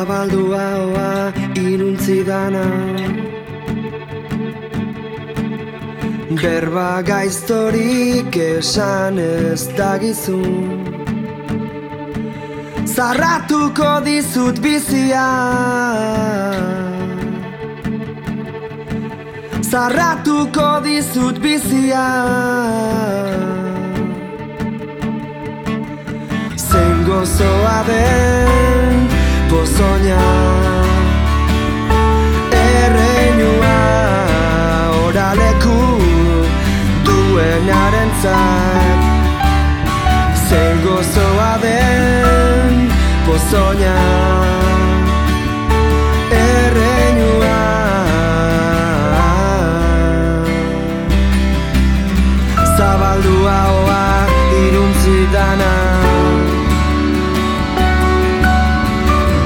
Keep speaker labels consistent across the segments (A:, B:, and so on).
A: Zabaldua hoa iruntzi dana, berba gaiztorik esan ez dagizun. Zarratuko dizut bizia, zarratuko dizut bizia. Zein gozoa den pozoina, erreinua oraleku duenarentzat. Zein gozoa den pozoina, erreinua. Zabaldua hoa iruntzi dana,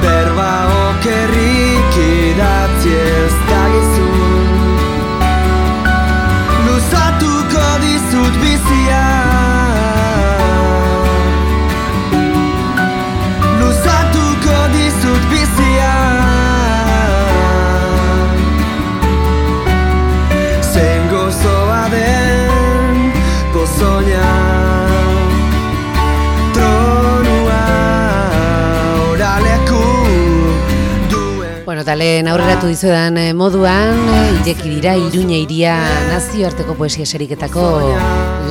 A: berba okerrik idatzi ez dagizun. Luzatuko dizut bizia, luzatuko dizut bizia. Zein gozoa den pozoina,
B: Talen aurreratu dizuedan moduan, ireki dira Iruña iria nazioarteko poesia sariketako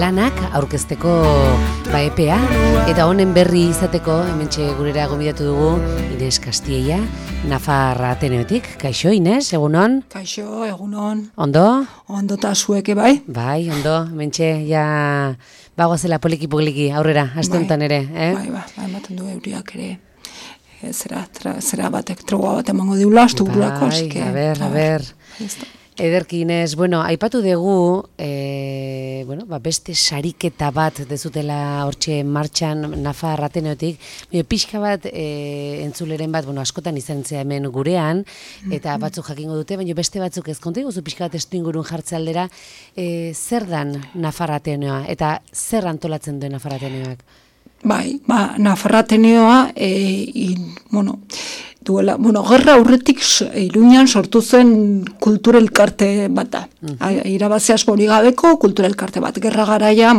B: lanak aurkezteko epea, eta honen berri izateko hementxe gurera gonbidatu dugu Ines Castilla, Nafarra Ateneotik. Kaixo, Ines, egunon?
C: Kaixo, egunon.
B: Ondo?
C: Ondo eta zueke, bai?
B: Bai, ondo, hementxe ja bagoazela poliki aurrera, aste honetan ere,
C: Bai, ematen du euriak ere. Zera batek trogoa bat emango diula, astu burlako, asike.
B: A ber. Ederki, Inez, aipatu dugu, beste sariketa bat dezutela hortxe martxan Nafarra Ateneotik, pixka bat entzuleren bat, askotan izan zea hemen gurean, eta batzuk jakingo dute, baina beste batzuk ez konta iguzu pixka bat estu ingurun jartze aldera, zer dan Nafarra Ateneoa, eta zer antolatzen duen Nafarra Ateneoak?
C: Bai, Nafarra Ateneoa, gerra aurretik Iruñan sortu zen kultura elkarte bat da. Irabazi asko hori gabeko kultura elkarte bat. Gerra garaia,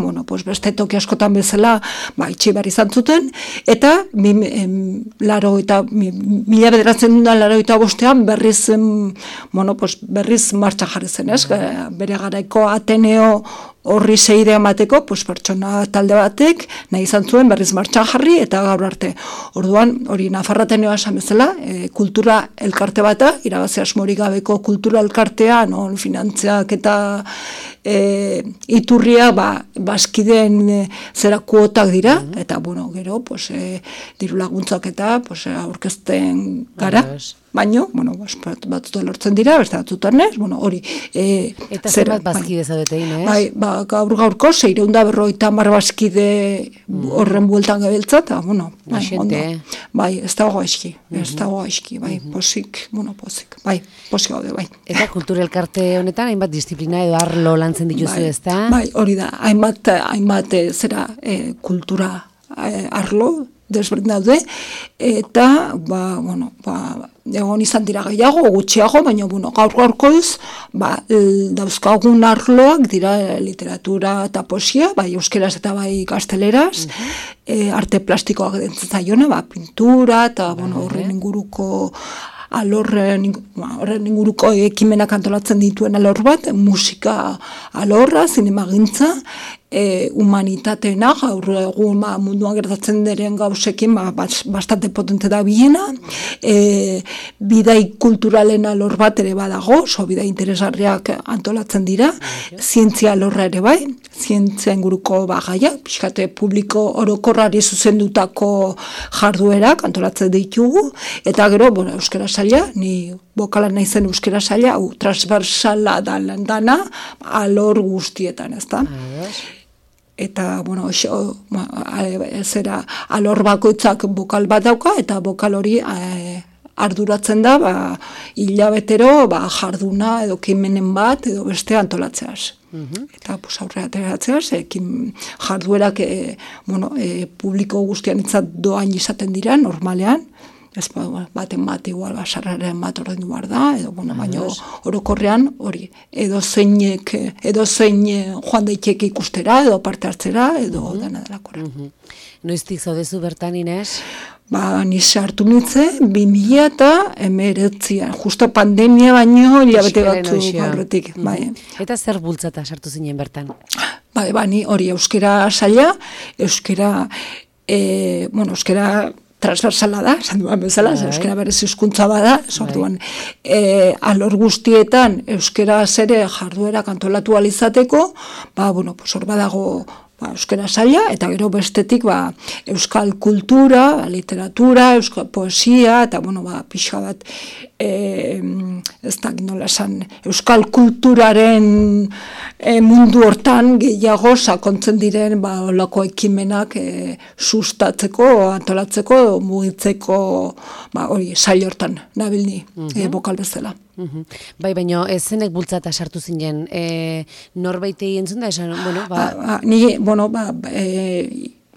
C: beste toki askotan bezala, itxi behar izan zuten, eta 1985 berriz martxa jarri zen, ez? Bere garaiko Ateneo horri seide emateko, pertsona talde batek nahi izan zuen berriz martxan jarri, eta gaur arte. Orduan, hori Nafarra Ateneoa esan bezala, kultura elkarte bata, irabazi asmorik gabeko kultura elkartea, non finantziak eta iturria bazkideen zera kuotak dira, eta gero, diru laguntzak eta aurkezten gara. Baina, batzutan lortzen dira, beste batzutan ez, hori.
B: Eta zer bat bazkide zaudete, Inez?
C: Bai, gaurko, 650 bazkide horren bueltan gabiltza, eta, ondo. Bai, ez dago eski, bai, posik, bai, posik gaude, bai.
B: Eta kultura elkarte honetan, hainbat disiplina edo arlo lantzen dituzu, ez da?
C: Bai, hori da, hainbat zera kultura arlo, desberdin daude, eta, egon izan dira gehiago, gutxiago, baina, gaur-gaurkoz, dauzkagun arloak dira literatura eta poesia, bai euskeraz eta bai gazteleraz, arte plastikoak dentzen zaiona, pintura, eta, horren inguruko horren inguruko ekimenak antolatzen dituen alor bat, musika alorra, zinemagintza, humanitateena, gaur egun munduan gertatzen diren gauzekin bastante potente da biena, bidai kulturalen alor bat ere badago, bidai interesgarriak antolatzen dira, zientzia alorra ere bai, zientzia inguruko gaia, pixkate publiko orokorrari zuzendutako jarduerak antolatzen ditugu, eta gero, euskara saila, ni bokalan naizen euskara saila, transversala dana, alor guztietan, ez da? Eta, alor bakoitzak bokal bat dauka, eta bokal hori arduratzen da, hilabetero, jarduna edo kimenen bat, edo beste antolatzeaz. Eta, aurrera ateratzeaz, jarduerak, publiko guztian itzat doain izaten dira, normalean, ez baten bat igual basarraren bat ordaindu behar da, edo, baina orokorrean hori, edo zein joan daiteke ikustera, edo parte hartzera, edo dena delakora.
B: Noiztik zaudezu bertan, Ines?
C: Ni sartu nintzen, 2019, justo pandemia baino, hilabete batzuk aurretik.
B: Eta zer bultzata sartu zinen bertan?
C: Ni hori euskera saila, euskera transversala da, esan duan bezala, euskera berez hizkuntza bada, orduan alor guztietan euskera zere jarduera kantolatu alizateko, hor badago euskera saila, eta gero bestetik euskal kultura, literatura, euskal poesia, eta pixa bat ez da nola esan, euskal kulturaren mundu hortan gehiago sakontzen diren olako ekimenak sustatzeko, antolatzeko, mugitzeko hori sail hortan nabilni bokal bezala.
B: Baina zenek bultzata sartu zinen, norbaitei entzun da esan,
C: ni,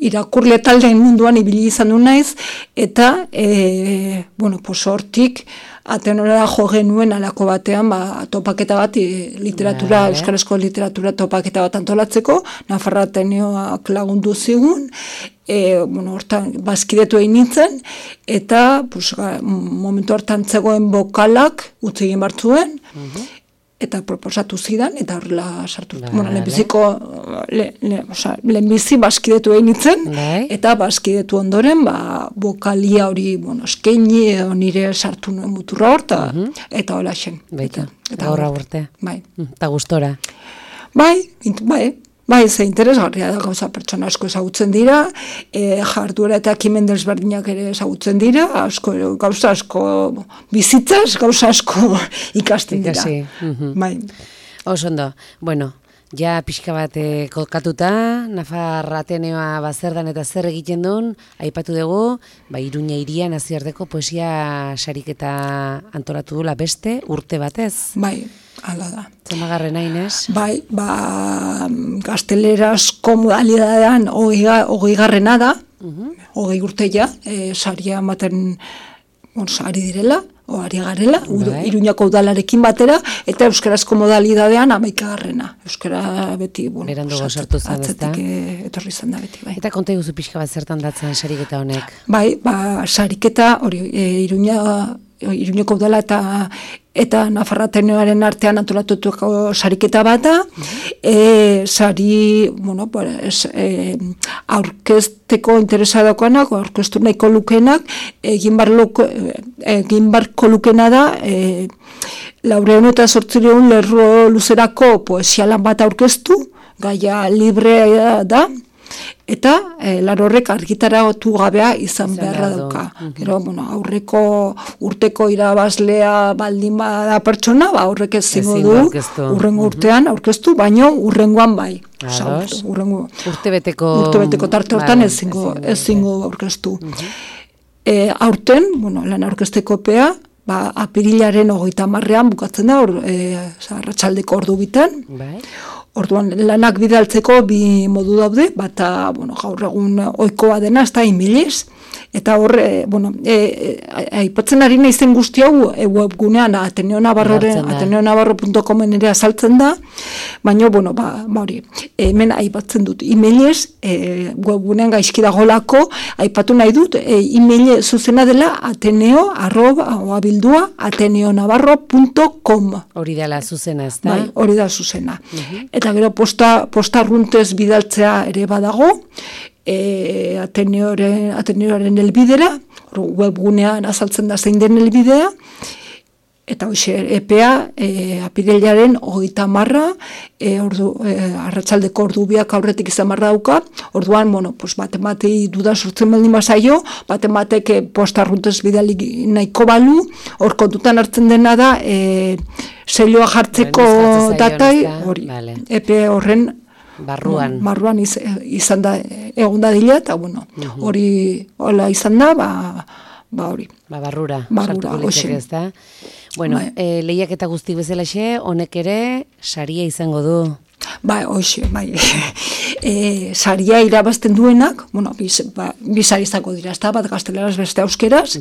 C: irakurle taldeen munduan ibili izan du naiz, eta, hortik, Ateneora jo genuen alako batean, topaketa bat, literatura, euskarazko literatura topaketa bat antolatzeko, Nafarra Ateneoak lagundu zigun, hortan bazkidetu egin nintzen, eta momentu hartan zegoen bokalak utzi egin bartzuen, eta proposatu zidan, eta horrela sartu. Lehenbizi bazkidetu egin nintzen, eta bazkidetu ondoren, bokalia hori, eskaini, nire sartu nuen muturra hor, eta hola xen.
B: Eta horra urte. Eta gustora.
C: Ze interesgarria da, gauza pertsona asko ezagutzen dira, jarduera eta ekimen desberdinak ere ezagutzen dira, gauza asko bizitzaz, gauza asko ikasten dira.
B: Oso ondo, ja pixka bat kokatuta, Nafarra Ateneoa zerdan eta zer egiten duen, aipatu dugu, Iruña hirian nazioarteko poesia sariketa antolatu dula beste urte batez.
C: Hala da.
B: Zemagarren Ines?
C: Gaztelerazko modalidadean 20garrena da, 20 urteia, saria ematen ari direla, ari garela, Iruñako udalarekin batera, eta euskarazko modalidadean 11garrena. Euskara beti,
B: berandugo sartu zen,
C: atzetik etorri zen da beti.
B: Eta konta iguzu pixka bat zertan datzen sariketa honek?
C: Sariketa, Iruñeko udala eta Nafarra Ateneoaren artean antolatuko sariketa bata, sari, aurkezteko interesa daukanak, aurkeztu nahiko lukenak, egin barko lukena da, 408 lerro luzerako poesialan bat aurkeztu, gaia librea da, eta horrek argitaratu gabea izan beharra dauka. Gero, aurreko urteko irabazlea baldin bada pertsona, horrek ezingo du, urrengo urtean aurkeztu, baino urrengoan bai.
B: Urtebeteko
C: tarte hortan ezingo aurkeztu. Aurten, lan aurkezteko epea, apirilaren 30ean bukatzen da, arratsaldeko ordu bitan. Orduan, lanak bidaltzeko bi modu daude, bata, gaur egun ohikoa dena, ez da emailez, eta hor, aipatzen ari naizen guzti hau webgunean ateneonavarro.comen ere azaltzen da, baina, hori, hemen aipatzen dut emailez, webgunean gaizki dagolako, aipatu nahi dut, email zuzena dela ateneonavarro.com.
B: Hori dela zuzena, ez da?
C: Hori da zuzena. Eta gero postarruntez bidaltzea ere badago, Ateneoren helbidera, webgunean azaltzen da zein den helbidea, eta hoxe epea apirilaren 30, arratsaldeko ordu biak aurretik izan barra dauka, orduan, baten duda sortzen baldin bazaio, batek postarruntez bidali nahiko balu, hor kontutan hartzen dena da, selioa jartzeko datai, hori, epe horren barruan izan da egon da dila, eta hori hola izan da, hori.
B: Barrura, hoxe. Lehiak eta guztik bezalaxe, honek ere saria izango du.
C: Bai, hoxe, bai. Saria irabazten duenak, bueno, bi sari izango dira, ezta, bat gazteleraz beste euskeraz.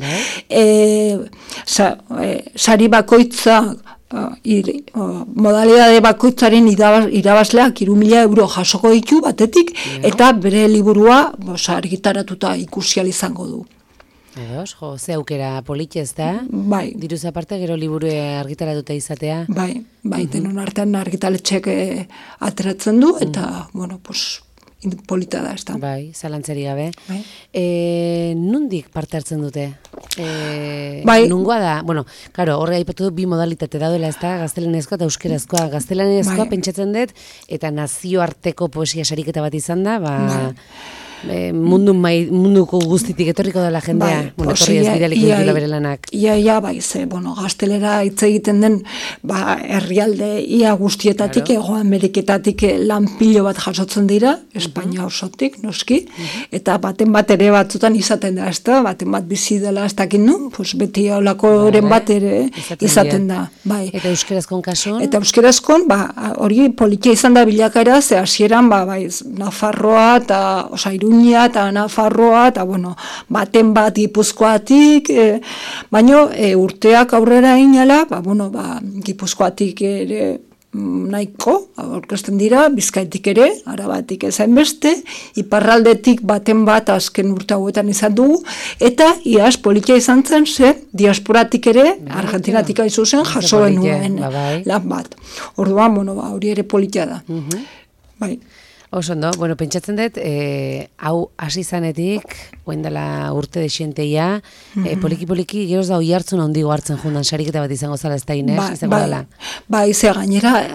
C: Sari bakoitza, modalidade bakoitzaren irabazleak 3.000 euro jasoko ditu batetik, eta bere liburua argitaratuta ikusial izango du.
B: Edos, ze aukera politez da?
C: Bai.
B: Diruz aparte, gero liburu argitaratuta izatea?
C: Bai, denon artean argitaletxek ateratzen du, eta, bueno, polita da, ez da.
B: Bai, zalantzeri gabe.
C: Bai.
B: Nundik parte hartzen dute?
C: Bai.
B: Nungoa da, bueno, karo, horre aipatu du bi modalitate daudela, ez da, gaztelanezkoa eta euskerazkoa. Gaztelanezkoa pentsatzen dut, eta nazioarteko poesia sariketa bat izan da, munduko guztitik etorriko dela jendea, etorri ez bidaliko ditula bere lanak.
C: Ia, bai, gaztelera hitz egiten den, herrialde ia guztietatik, Hego Ameriketatik lan pilo bat jasotzen dira, Espainia osotik, noski, eta baten bat ere batzutan izaten da, ezta, baten bat bizi dela ez dakit nu, beti olakoren bat ere izaten da.
B: Eta euskerazkon kasun?
C: Eta euskerazkon, hori politia izan da bilakaera, ze hasieran, Nafarroa eta Iruña eta Nafarroa, eta, bueno, baten bat Gipuzkoatik, baino urteak aurrera inala, Gipuzkoatik ere nahiko, aurkezten dira, Bizkaitik ere, Arabatik ezain beste, iparraldetik baten bat azken urte hauetan izan dugu, eta iaz politia izan zen, diasporatik ere, Argentinatik aizu zen, jasoen nuen lan bat. Orduan, hori ere politia da. Bai.
B: Oso ondo, pentsatzen dut, hau hasi zanetik, oindela urte desienteia, poliki-poliki geroz da oi hartzun handigo hartzen jundan, sariketa bat izango zala ez da Inez, izango dela.
C: Ze gainera,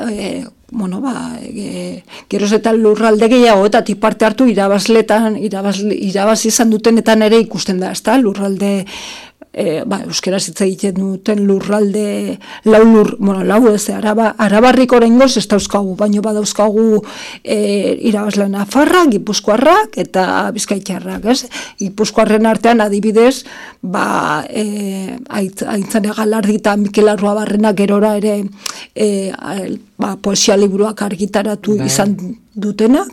C: geroz eta lurralde gehiagoetatik parte hartu irabazi izan dutenetan ere ikusten da, ez da, lurralde, euskera hitz egiten duten lurralde, Arabarrik oraingoz ez dauzkagu, baino badauzkagu irabazle Nafarrak, Gipuzkoarrak eta Bizkaitarrak, ez? Gipuzkoarren artean adibidez, Aintzane Galardi eta Mikel Arruabarrena gerora ere poesia liburuak argitaratu izan dutenak.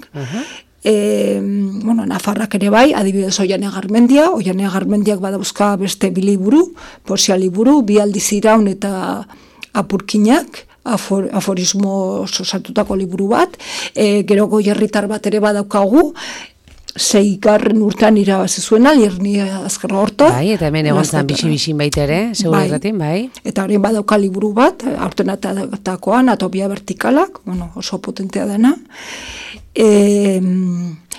C: Nafarrak ere bai, adibidez Oiane Garmendiak badauzka beste bi liburu, poesia liburu, bi aldiz iraun eta apurkinak, aforismo osatutako liburu bat, gero Goierritar bat ere badaukagu, 6. urtean irabazi zuena, Lierni Azkarra Horta.
B: Bai, eta hemen egon zan bixi-bixin baita ere, segur erratin, bai.
C: Eta horien badauka liburu bat, aurten atakoan, Atopia Vertikalak, oso potentea dena.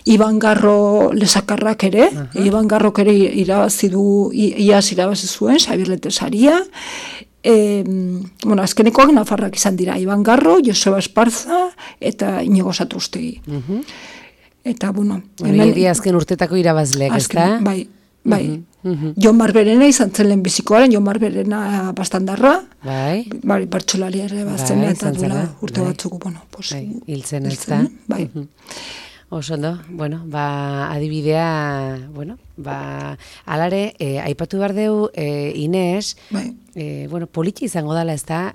C: Iban Garro Lesakarrak ere, Iban Garrok ere irabazi zuen, Xabier Letesaria. Azkenekoak Nafarrak izan dira, Iban Garro, Joseba Esparza eta Inigo Satrustegi. Eta,
B: hori azken urtetako irabazleak, ez da?
C: Bai. Jon Barberena izan zen lehen bizikoaren, Jon Barberena bastandarra, bertsolari ere bazen, eta duela urte batzuk,
B: hiltzen ez da.
C: Bai.
B: Oso ondo, adibidea, alare, aipatu behar deu, Inez, politi izango dela, ez da,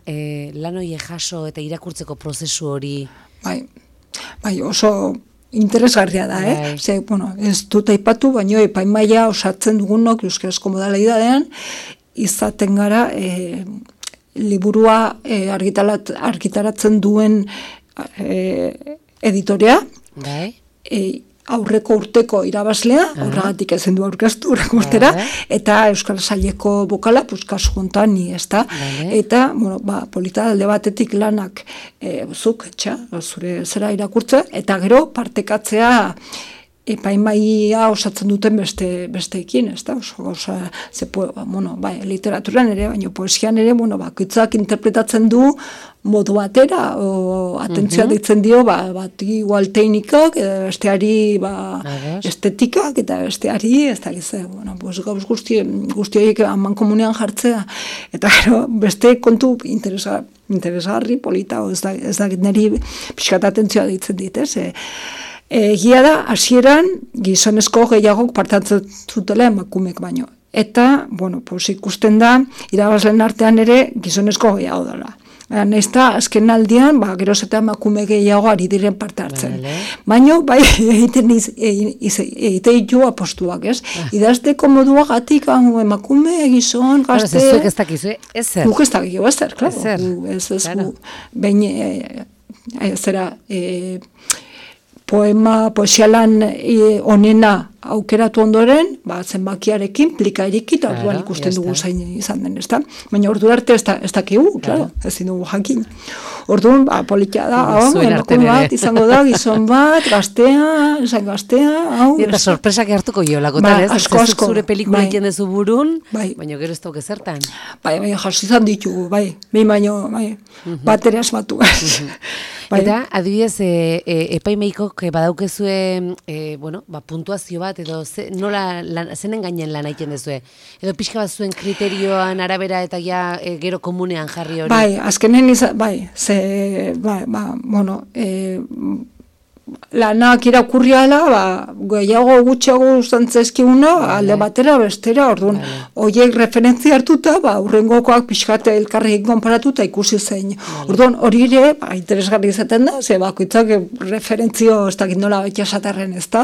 B: lan hori jaso eta irakurtzeko prozesu hori.
C: Bai, oso interesgarria da, ez dut aipatu, baina epaimaia osatzen dugunok euskarazko modalidadean, izaten gara liburua argitaratzen duen editorea, aurreko urteko irabazlea, horregatik ezen du aurkeztu urreko urtera, eta Euskal Saileko bokala, kasu hontan ni, ez da, eta, polita alde batetik lanak zuk, zure zera irakurtza, eta gero partekatzea epaimaia osatzen duten besteekin, ez da, literaturan ere, baina poesian ere, bakoitzak interpretatzen du modu batera, atentzioa deitzen dio, bati teknikak, besteari estetikak, eta besteari, ez da gizea, gauz guztiak aman komunean jartzea, eta gero, beste kontu interesgarri, polita, ez da niri pixkat atentzioa deitzen dit, ez? Egia da, hasieran gizonezko gehiagok partatzen zutela emakumek baino. Eta, ikusten da, irabazleen artean ere gizonezko gehiago dela. Naizta, azken aldian, geroz eta emakume gehiago ari diren parte hartzen.
B: Vale.
C: Baina, bai, egiten ditu apostuak, ez? Idazteko moduagatik, emakume, gizon, gazte...
B: Ez zuek ez dakizu, ezer.
C: Guk ez dakizu, ezer, klaro.
B: Claro.
C: Behin, poesialan onena aukeratu ondoren, zenbakiarekin, plika erikit, orduan ikusten dugu zain izan den, ezta? Baina ordu arte ez dakigu, claro, ezin dugu jakin. Orduan, politia da, emakume bat, izango da, gizon bat, gaztea, hau...
B: Eta sorpresak hartuko jolako,
C: asko.
B: Zure pelikula egiten dezu burun, baina gero ez dauke zertan.
C: Baina jasi izan ditugu, baina, bat ere asmatu.
B: Eta, adibidez, epaimeikok badaukezue, puntuazio bat, edo zenen gainen lan egiten dezue? Edo pixka bat zuen kriterioan arabera eta gero komunean jarri hori?
C: Bai, azkenen lanak irakurriala, gehiago gutxiago ustantzezkiuna, alde batera, bestera, orduan, horiek referentzia hartuta, urrengokoak pixkate elkarrekin konparatuta ikusi zein. Orduan, hori ere, interesgarri izaten da, bakoitzak referentzio, ez dakit nola baita esaterren, ez da,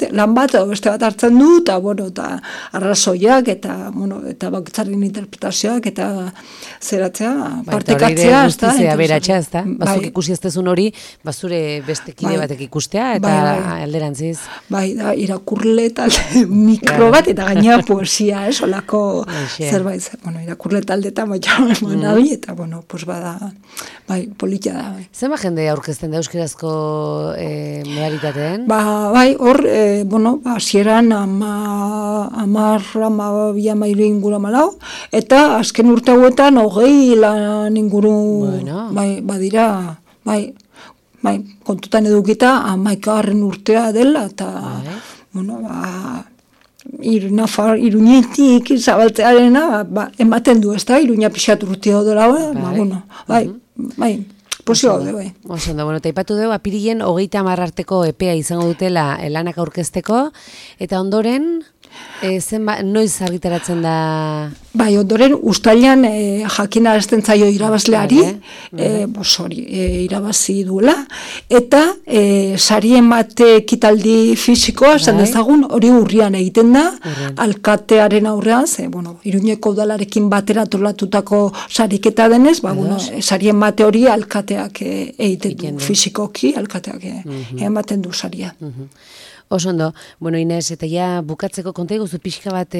C: lan bat, beste bat hartzen du, eta arrazoiak, eta bakoitzaren interpretazioak, eta zeratzea, partekatzea, ez da.
B: Guztizea beratxa, ez da? Bazuk ikusi ez dezun hori, bazure beste kide batek ikustea, eta alderantziz.
C: Da, irakurle talde mikro bat, eta gaina poesia, olako zerbait. Irakurle talde eta nabi, eta, bada, politia da.
B: Zenba jende aurkezten da euskerazko modalitateen?
C: Hor, hasieran amairu inguru amalau, eta azken urte hauetan 20 lan inguru badira, kontutan edukita 11. urtea dela, eta, Iruñetik zabaltzearena, ematen du, ez da, Iruña pixat urtea dela, posio gaude,
B: Oso ondo, eta ipatu dugu, apirilen 30 arteko epea izango dutela lanak aurkezteko, eta ondoren, noiz argitaratzen da?
C: Ondoren, ustailan jakina esten zaio irabazleari, irabazi duela, eta sarien bat ekitaldi fisikoa, esan dezagun, hori urrian egiten da, alkatearen aurrean, Iruñeko udalarekin batera tolatutako sariketa denez, sarien bate hori alkateak egiten du, fisikoki alkateak ematen du saria.
B: Oso ondo, Inez, eta bukatzeko konta iguzu pixka bat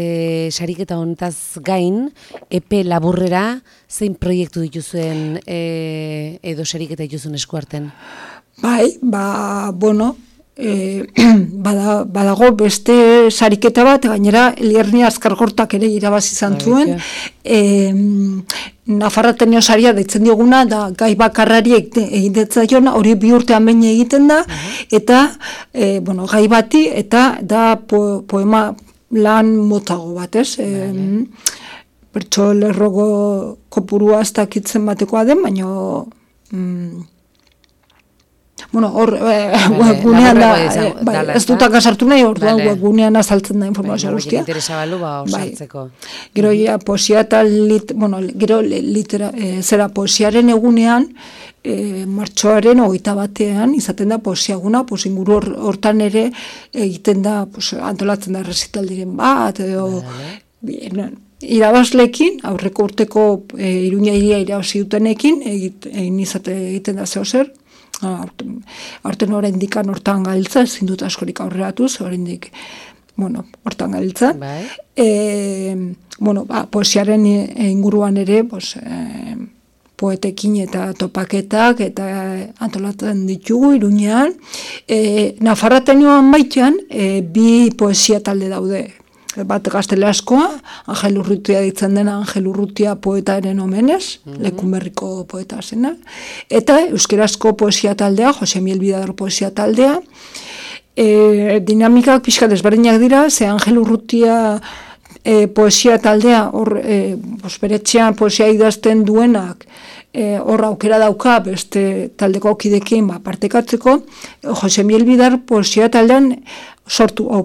B: sariketa honetaz gain, epe laburrera, zein proiektu dituzuen edo sariketa dituzuen eskuarten?
C: Badago beste sariketa bat, gainera Elierni Azkargortak ere irabazi izan zuen, Nafarratenio saria deitzen dioguna, da gai bakarrari egiten hori 2 urtean behin egiten da, eta gai bati, eta da poema lan motago bat, ez? Bertso lerrogo kopurua ez dakitzen batekoa den, baina webgunean da, ez dutak asartu nahi, orduan webgunean azaltzen da informazio guztia.
B: Interesa balu, osartzeko.
C: Gero, poesia eta zera poesiaren egunean, martxoaren 21 izaten da poesiaguna, inguru hortan ere egiten da, antolatzen da resitaldiren bat, edo irabazlekin, aurreko urteko Iruña hiria irabazi dutenekin, egiten da zehozer, horten oraindik hortan gabiltza, ezin dut askorik aurreratuz, oraindik hortan gabiltza. Poesiaren inguruan ere, poetekin eta topaketak eta antolatzen ditugu Iruñean. Nafarratenioan baitean, 2 poesia talde daude. Bat gazteleaskoa, Angel Urrutia ditzen dena, Angel Urrutia poetaren omenez, Lekunberriko poeta zena, eta euskerazko poesia taldea, Jose Miel Bidador poesia taldea, dinamikak pixka desberdinak dira, ze Angel Urrutia poesia taldea, beretxean poesia idazten duenak, hor aukera dauka beste taldeko kidekin partekatzeko, Jose Miel Bidar poesia taldean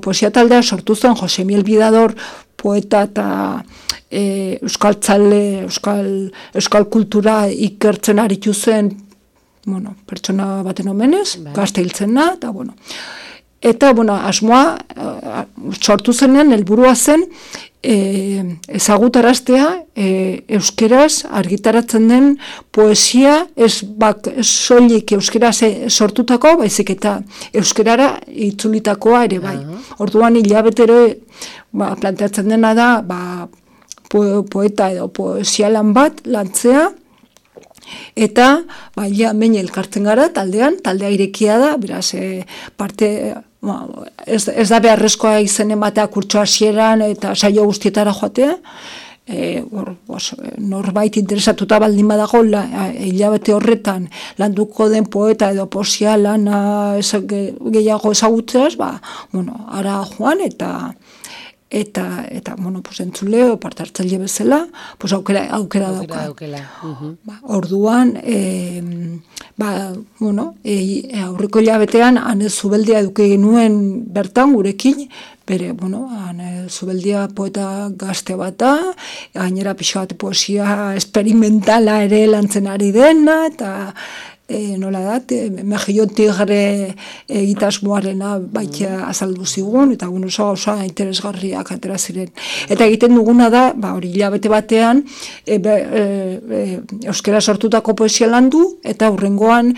C: poesia taldea sortu zen Jose Miel Bidador, poeta eta euskaltzale, euskal kultura ikertzen aritu zen, bueno, pertsona baten omenez, gazte hiltzena, eta bueno. Eta, bueno, asmoa sortu zenean, helburua zen, ezagutaraztea euskeraz argitaratzen den poesia ez soilik euskeraz sortutako, baizik eta euskerara itzulitakoa ere bai. Orduan hilabetero planteatzen dena da poeta edo poesialan bat lantzea, eta hemen elkartzen gara taldea irekia da, beraz parte ez da beharrezkoa izen ematea kurtso hasieran eta saio guztietara joatea, norbait interesatuta baldin badago hilabete horretan landuko den poeta edo poesia lana gehiago ezagutzeaz, ara joan eta bueno, pues entzule parte hartzaile bezala, pues aukera dauka. Orduan, bueno, aurreko hilabetean Ane Zubeldia eduki genuen bertan gurekin, bere, bueno, Ane Zubeldia poeta gazte bata, gainera pixka bat poesia experimentala ere lantzen ari dena, eta nola da, Mejillon Tigre egitasmoarena baita azaldu zigun, eta oso interesgarriak atera ziren. Eta egiten duguna da, hori hilabete batean, euskera sortutako poesia landu, eta hurrengoan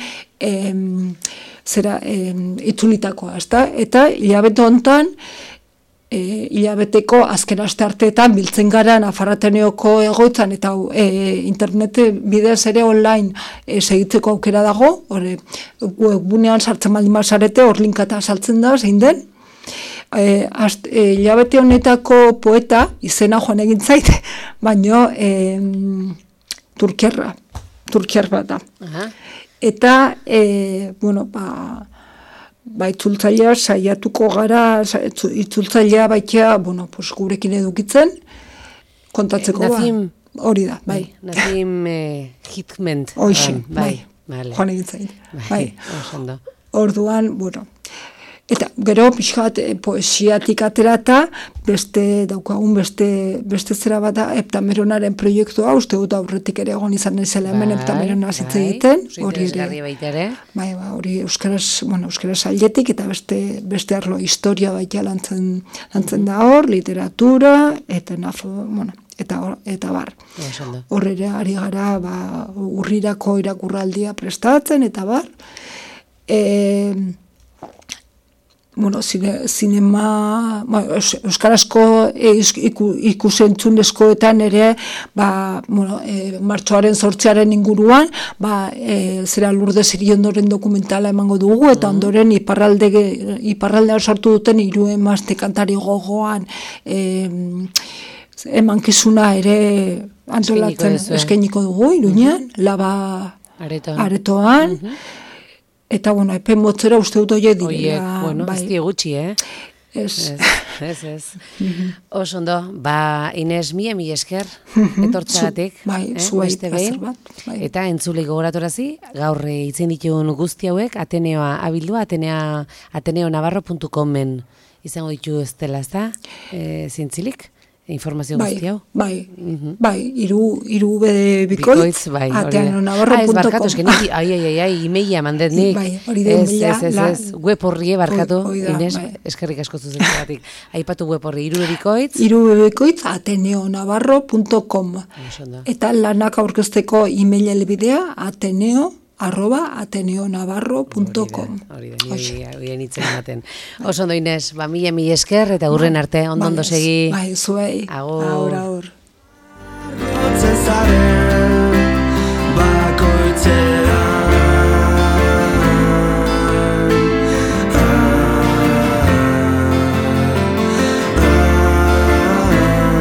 C: itzulitakoa, ezta? Eta hilabete hontan, hilabeteko azken aste arteetan biltzen gara Nafarrateneoko egoitzan eta internet bidez ere online segitzeko aukera dago, webgunean sartzen baldin bazarete, hor linkata saltzen da, zein den. Hilabete honetako poeta, izena joan egin zait, baino turkiar bat da. Eta, bueno, itzultzailea saiatuko gara, itzultzailea baitea, bueno, pues gurekin edukitzen, kontatzeko hori da, bai.
B: Nazim Hikmet.
C: Hoixin, bai, joan egin zain. Bai, orduan, bueno, eta gero pixkat poesiatik aterata, daukagun beste zera bat da, Heptameronaren proiektua, uste dut aurretik ere egon izan ezela hemen Heptamerona zitze egiten.
B: Hori ere.
C: Bai, hori euskaraz aldetik, eta beste arlo historia baita lantzen da hor, literatura, eta bueno, eta bar. Horrere ari gara urrirako irakurraldia prestatzen, eta bar. Bueno, zinema, euskarazko ikusentzunezkoetan ere, martxoaren 8 inguruan, zera Lourdes Iriondoren dokumentala emango dugu, eta ondoren iparraldean sortu duten 3 emazte kantari gogoan emankizuna ere antolatzen eskainiko dugu, Iruñean, Laba aretoan. Eta, bueno, epen motzera uste dut oie direla.
B: Bueno, ez gutxi, Ez. Oso ondo, Ines, mi esker, etortzagatik.
C: Zuei, plazer bat.
B: Eta entzulei gogoratorazi, gaur itzen ditun guzti hauek, Ateneoa abildua, ateneonavarro.comen izango ditu ez dela, ez da? Zintzilik? Informazio guzti hau?
C: Bai, iru bikoitz, ateneonavarro.com.
B: Barkatu, imeia mandet nik.
C: Hori da imeia.
B: Web horri barkatu, Ines, eskerrik asko zuzenagatik. Aipatu web horri, iru
C: bikoitz, ateneonavarro.com. Eta lanak aurkezteko email helbidea, ateneonavarro.com.
B: Hori da, nitzen ematen. Oso ondo, Ines, mila esker, eta hurren arte, ondo segi.
C: Zuei.
B: Agur.